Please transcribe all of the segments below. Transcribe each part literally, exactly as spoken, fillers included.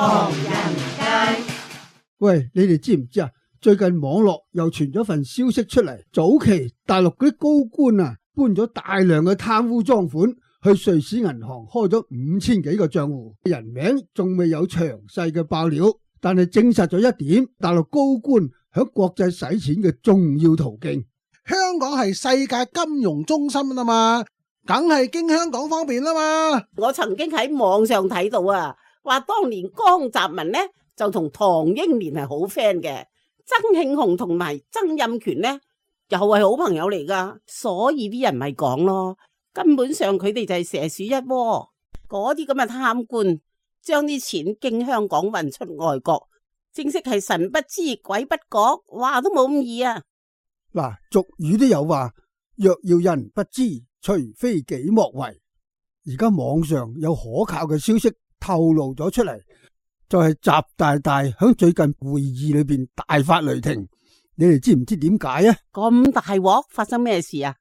唐人街。喂，你哋知唔知啊？最近網絡又傳咗份消息出嚟，早期大陸嗰啲高官啊，搬咗大量嘅貪污贓款去瑞士銀行開咗五千幾個賬戶，人名仲未有詳細嘅爆料，但係證實咗一點，大陸高官響國際使錢嘅重要途徑。香港係世界金融中心啊嘛，梗係經香港方便啦嘛。我曾經喺網上睇到啊，話當年江澤民呢就同唐英年係好 friend 嘅，曾慶紅同埋曾蔭權呢又係好朋友嚟噶，所以啲人咪講咯，根本上佢哋就係蛇鼠一窩。嗰啲咁嘅貪官將啲錢經香港運出外國，正式係神不知鬼不覺，話都冇咁易啊！嗱，俗語都有話，若要人不知，除非己莫為。而家網上有可靠嘅消息透露咗出嚟，就係習大大響最近會議裏邊大發雷霆。你哋知唔知點解啊？咁大鑊，發生咩事啊？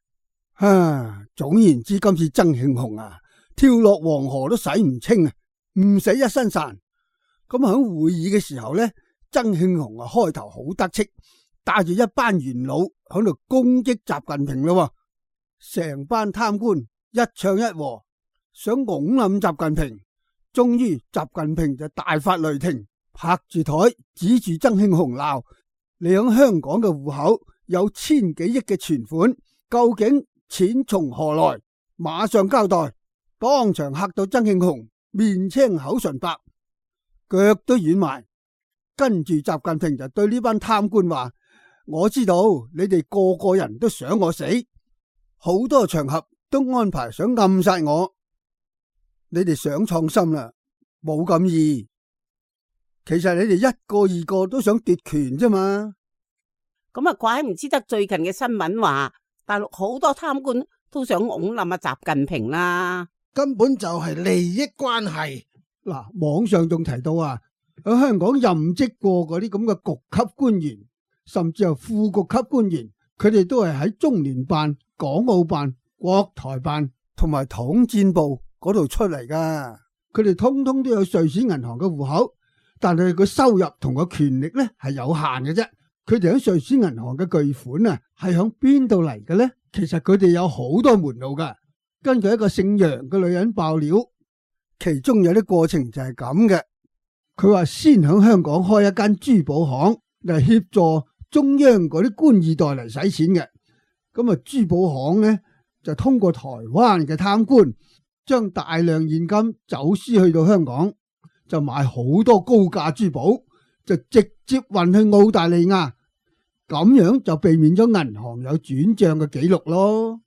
啊，總言之，今次曾慶紅啊，跳落黃河都洗唔清啊，唔死一身潺。咁響會議嘅時候呢，曾慶紅啊開頭好得戚，帶住一班元老響度攻擊習近平咯，成班貪官一唱一和，想拱冧習近平。終於習近平就大發雷霆，拍住台指住曾慶紅鬧：你響香港嘅戶口有千幾億嘅存款，究竟錢從何來？馬上交代！當場嚇到曾慶紅面青口唇白，腳都軟埋。跟住習近平就對呢班貪官話：我知道你哋個個人都想我死，好多場合都安排想暗殺我。你哋想創新啦，冇咁易。其實你哋一個二個都想奪權啫嘛。咁啊，怪唔知得最近嘅新聞話，大陸好多貪官都想拱冧阿習近平啦。根本就係利益關係。嗱，網上仲提到啊，喺香港任職過嗰啲咁嘅局級官員，甚至係副局級官員，佢哋都係喺中聯辦、港澳辦、國台辦同埋統戰部嗰度出嚟噶。佢哋通通都有瑞士銀行嘅戶口，但係佢收入同個權力咧係有限嘅啫。佢哋喺瑞士銀行嘅巨款啊，係響邊度嚟嘅咧？其實佢哋有好多門路噶。根據一個姓楊嘅女人爆料，其中有啲過程就係咁嘅。佢話先響香港開一間珠寶行嚟協助中央嗰啲官二代嚟使錢嘅。咁啊，珠寶行呢，就通過台灣嘅貪官將大量現金走私去到香港，就買好多高價珠寶，就直接運去澳大利亞，咁樣就避免咗銀行有轉賬嘅記錄咯。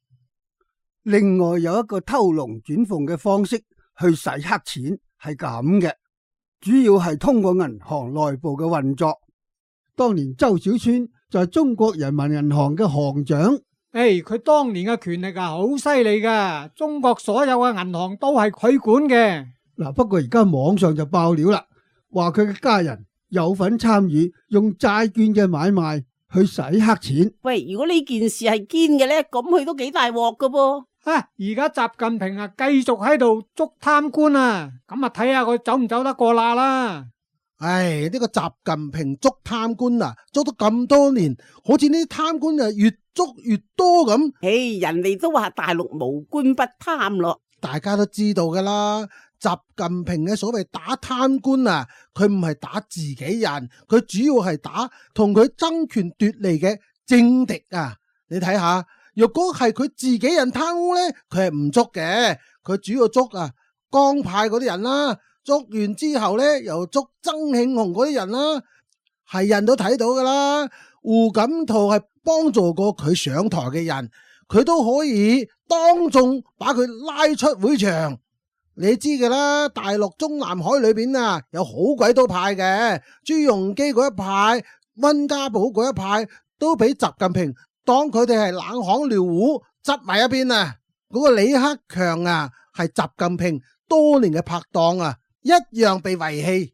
另外有一個偷龍轉鳳嘅方式去洗黑錢係咁嘅，主要係通過銀行內部嘅運作。當年周小川就係中國人民銀行嘅行長。誒，佢當年嘅權力啊好犀利噶，中國所有嘅銀行都係佢管嘅。嗱，不過而家網上就爆料啦，話佢嘅家人有份參與用債券嘅買賣去洗黑錢。喂，如果呢件事係堅嘅咧，咁佢都幾大鑊噶噃。啊，而家習近平啊繼續喺度捉貪官啊，咁啊睇下佢走唔走得過罅啦。唉，呢個習近平捉貪官啊，捉咗咁多年，好似呢啲貪官啊越捉越多咁。唉，人哋都話大陸無官不貪咯，大家都知道噶啦。習近平嘅所謂打貪官啊，佢唔係打自己人，佢主要係打同佢爭權奪利嘅政敵啊。你睇下，若果係佢自己人貪污呢，佢係唔捉嘅，佢主要捉啊江派嗰啲人啦。捉完之後呢，又捉曾慶紅嗰啲人啦，係人都睇到噶啦。胡錦濤係幫助過佢上台嘅人，佢都可以當眾把佢拉出會場。你知噶啦，大陸中南海裏邊啊，有好鬼多派嘅，朱鎔基嗰一派、溫家寶嗰一派，都俾習近平當佢哋係冷巷撩戶，執埋一邊啊。嗰個李克強啊，係習近平多年嘅拍檔啊，一樣被遺棄。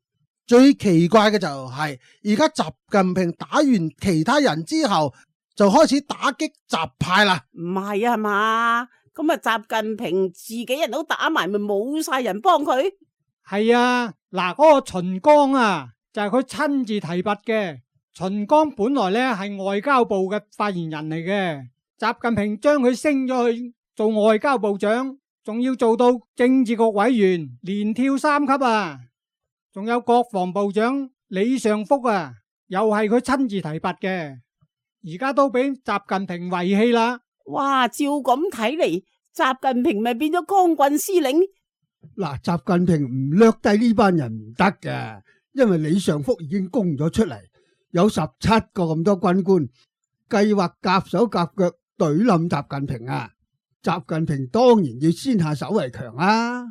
最奇怪嘅就係而家習近平打完其他人之後，就開始打擊習派啦。唔係啊嘛？咁啊，習近平自己人都打埋，咪冇晒人幫佢。係啊，嗱，嗰個秦剛啊，就係佢親自提拔嘅。秦剛本來咧係外交部嘅發言人嚟嘅，習近平將佢升咗去做外交部長，仲要做到政治局委員，連跳三級啊！仲有國防部長李尚福啊，又係佢親自提拔嘅，而家都俾習近平遺棄啦。哇，照咁睇嚟，習近平咪變咗光棍司令？嗱，習近平唔掠低呢班人唔得嘅，因為李尚福已經供咗出嚟。有十七個咁多軍官計劃夾手夾腳懟冧習近平啊！習近平當然要先下手為強啊！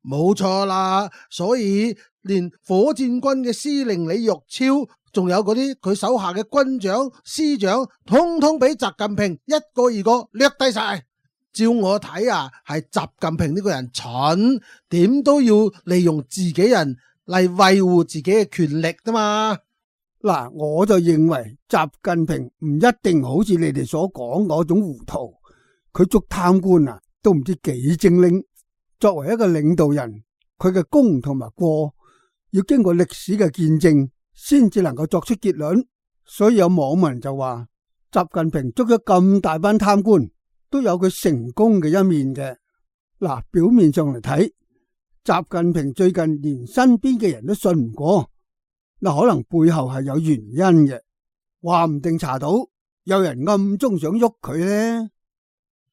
冇錯啦，所以連火箭軍嘅司令李玉超，仲有嗰啲佢手下嘅軍長、師長，通通俾習近平一個二個掠低晒。照我睇啊，係習近平呢個人蠢，點都要利用自己人嚟維護自己嘅權力㗎嘛。嗱，我就認為習近平唔一定好似你哋所講嗰種糊塗，佢捉貪官啊，都唔知幾精靈。作為一個領導人，佢嘅功同埋過要經過歷史嘅見證，先至能夠作出結論。所以有網民就話，習近平捉咗咁大班貪官，都有佢成功嘅一面嘅。嗱，表面上嚟睇，習近平最近連身邊嘅人都信唔過。嗱，可能背後係有原因嘅，話唔定查到有人暗中想喐佢呢。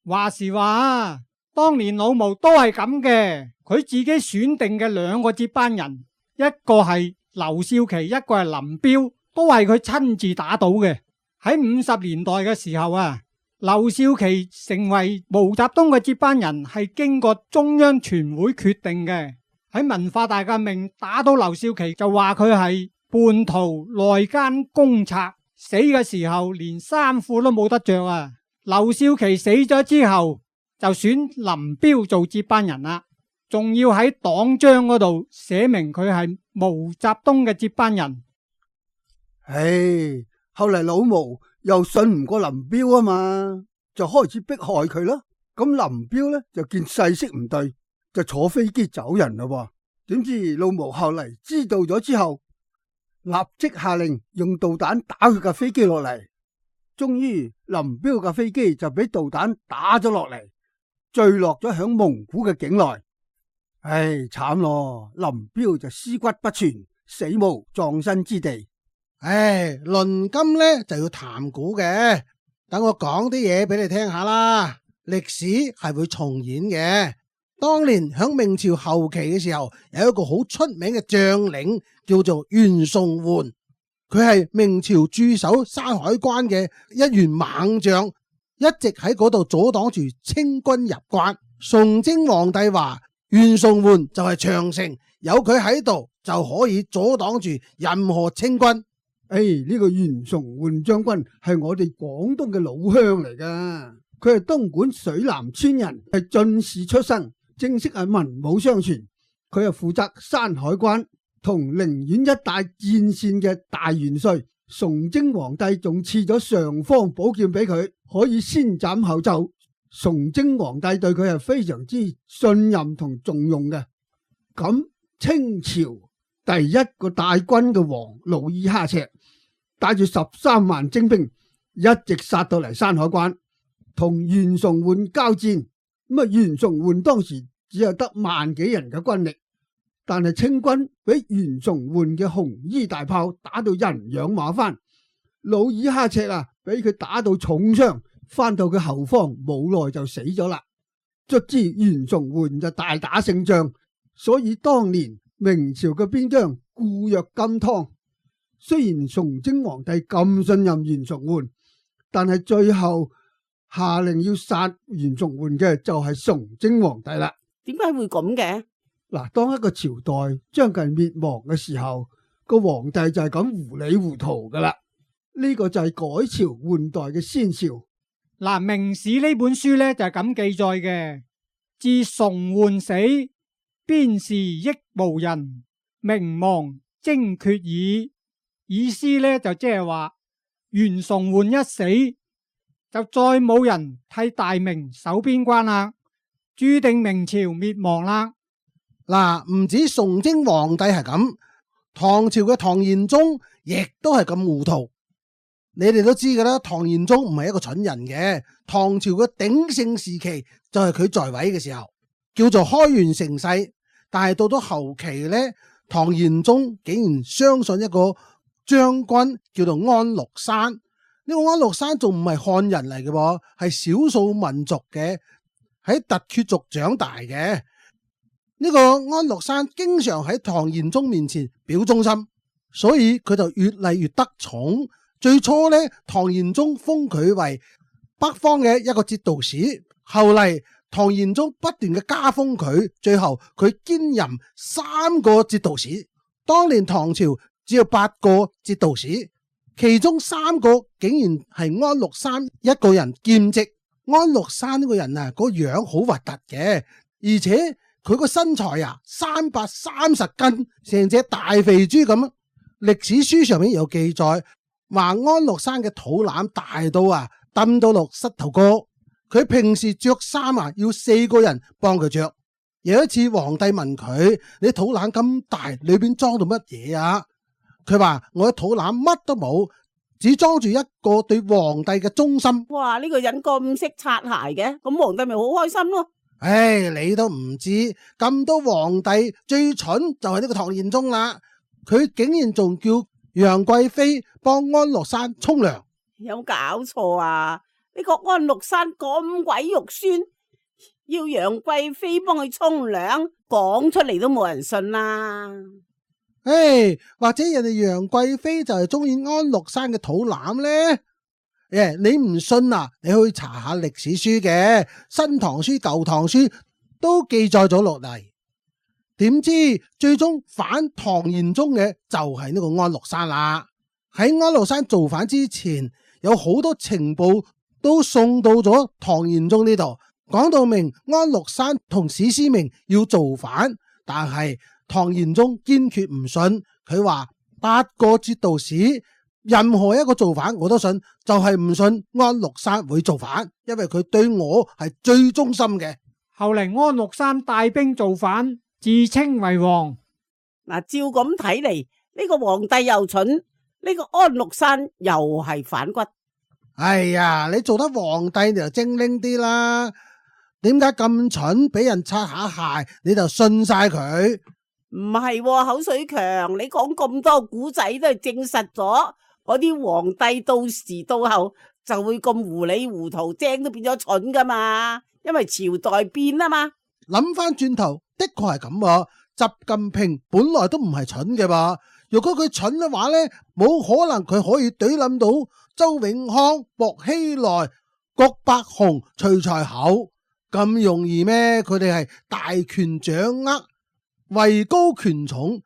話時話，當年老毛都係咁嘅，佢自己選定嘅兩個接班人，一個係劉少奇，一個係林彪，都係佢親自打倒嘅。喺五十年代嘅時候啊，劉少奇成為毛澤東嘅接班人係經過中央全會決定嘅。喺文化大革命打倒劉少奇，就話佢係叛徒、內奸、公賊，死嘅時候連衫褲都冇得着啊！劉少奇死咗之後，就選林彪做接班人啦，仲要喺黨章嗰度寫明佢係毛澤東嘅接班人。唉，後嚟老毛又信唔過林彪啊嘛，就開始迫害佢咯。咁林彪呢，就見勢色唔對，就坐飛機走人啦。點知老毛後嚟知道咗之後，立即下令用導彈打佢架飛機落嚟，終於林彪架飛機就俾導彈打咗落嚟，墜落咗響蒙古嘅境內。唉，慘咯，林彪就屍骨不全，死無葬身之地。唉，論今呢就要談古嘅，等我講啲嘢俾你聽下啦。歷史係會重演嘅。當年響明朝後期嘅時候，有一個好出名嘅將領叫做袁崇煥，佢係明朝駐守山海關嘅一員猛將，一直喺嗰度阻擋住清軍入關。崇禎皇帝話袁崇煥就係長城，有佢喺度就可以阻擋住任何清軍。誒，呢個袁崇煥將軍係我哋廣東嘅老鄉嚟噶，佢係東莞水南村人，係進士出身。正式係文武雙全，佢係負責山海關同寧遠一帶戰線嘅大元帥。崇禎皇帝仲賜咗尚方寶劍俾佢，可以先斬後奏。崇禎皇帝對佢係非常之信任同重用嘅。咁清朝第一個大軍嘅王努爾哈赤帶住十三萬精兵，一直殺到嚟山海關，同袁崇煥交戰。咁啊，袁崇煥當時只有得萬幾人嘅軍力，但係清軍俾袁崇煥嘅紅衣大炮打到人仰馬翻，努爾哈赤啊，俾佢打到重傷，翻到佢後方冇耐就死咗啦。卒之袁崇煥就大打勝仗，所以當年明朝嘅邊疆固若金湯。雖然崇禎皇帝咁信任袁崇煥，但係最後下令要殺袁崇煥嘅就係崇禎皇帝啦。點解會咁嘅？嗱，當一個朝代將近滅亡嘅時候，個皇帝就係咁糊裏糊塗噶啦。呢個就係改朝換代嘅先兆。嗱，《明史》呢本書呢就係咁記載嘅：自崇煥死，邊事益無人，名亡精缺矣。意思呢就即係話袁崇煥一死，就再冇人替大明守邊關啦，注定明朝滅亡啦。嗱，唔止崇禎皇帝係咁，唐朝嘅唐玄宗亦都係咁糊塗。你哋都知㗎啦，唐玄宗唔係一個蠢人嘅。唐朝嘅鼎盛時期就係佢在位嘅時候，叫做開元盛世。但係到咗後期呢，唐玄宗竟然相信一個將軍叫做安祿山。呢個安祿山仲唔係漢人嚟嘅，係少數民族嘅，喺突厥族長大嘅。呢個安祿山經常喺唐玄宗面前表忠心，所以佢就越嚟越得寵。最初呢，唐玄宗封佢為北方嘅一個節度使，後嚟唐玄宗不斷嘅加封佢，最後佢兼任三個節度使。當年唐朝只有八個節度使，其中三個竟然係安祿山一個人兼職。安祿山呢個人啊，個樣好核突嘅，而且佢個身材啊，三百三十斤，成隻大肥豬咁。歷史書上面有記載，話安祿山嘅肚腩大到啊，揼到落膝頭哥。佢平時着衫啊，要四個人幫佢着。有一次皇帝問佢：你肚腩咁大，裏邊裝到乜嘢啊？佢話：我嘅肚腩乜都冇，只裝住一個對皇帝嘅忠心。哇！呢個人咁識擦鞋嘅，咁皇帝咪好開心咯。唉，你都唔知，咁多皇帝最蠢就係呢個唐玄宗啦。佢竟然仲叫楊貴妃幫安祿山沖涼。有搞錯啊！呢個安祿山咁鬼肉酸，要楊貴妃幫佢沖涼，講出嚟都冇人信啦。唉，或者人哋楊貴妃就係中意安祿山嘅肚腩呢？誒，你唔信啊？你去查下歷史書嘅《新唐書》《舊唐書》都記載咗落嚟。點知最終反唐玄宗嘅就係呢個安祿山啦。喺安祿山造反之前，有好多情報都送到咗唐玄宗呢度，講到明安祿山同史思明要造反，但係唐玄宗堅決唔信，佢話八個節度使任何一個造反我都信，就係唔信安祿山會造反，因為佢對我係最忠心嘅。後嚟安祿山帶兵造反，自稱為王。嗱，照咁睇嚟，呢個皇帝又蠢，呢個安祿山又係反骨。哎呀，你做得皇帝你就精靈啲啦，點解咁蠢，俾人擦下鞋你就信晒佢？唔係喎，口水強，你講咁多古仔都係證實咗，嗰啲皇帝到時到後就會咁糊里糊塗，精都變咗蠢噶嘛，因為朝代變啊嘛。諗翻轉頭，的確係咁。習近平本來都唔係蠢嘅吧？如果佢蠢嘅話呢，冇可能佢可以懟冧到周永康、薄熙來、郭伯雄、徐才厚咁容易咩？佢哋係大權掌握，位高權重，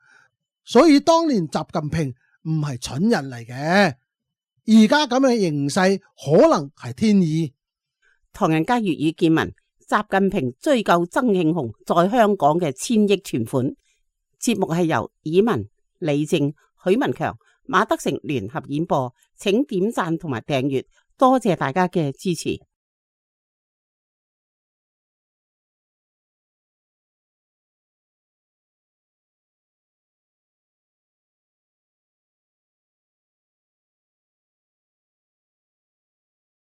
所以當年習近平唔係蠢人嚟嘅。而家咁嘅形勢可能係天意。唐人街粵語見聞，習近平追究曾慶紅在香港嘅千億存款。節目係由以文、李正、許文強、馬德成聯合演播，請點讚同埋訂閱，多謝大家嘅支持。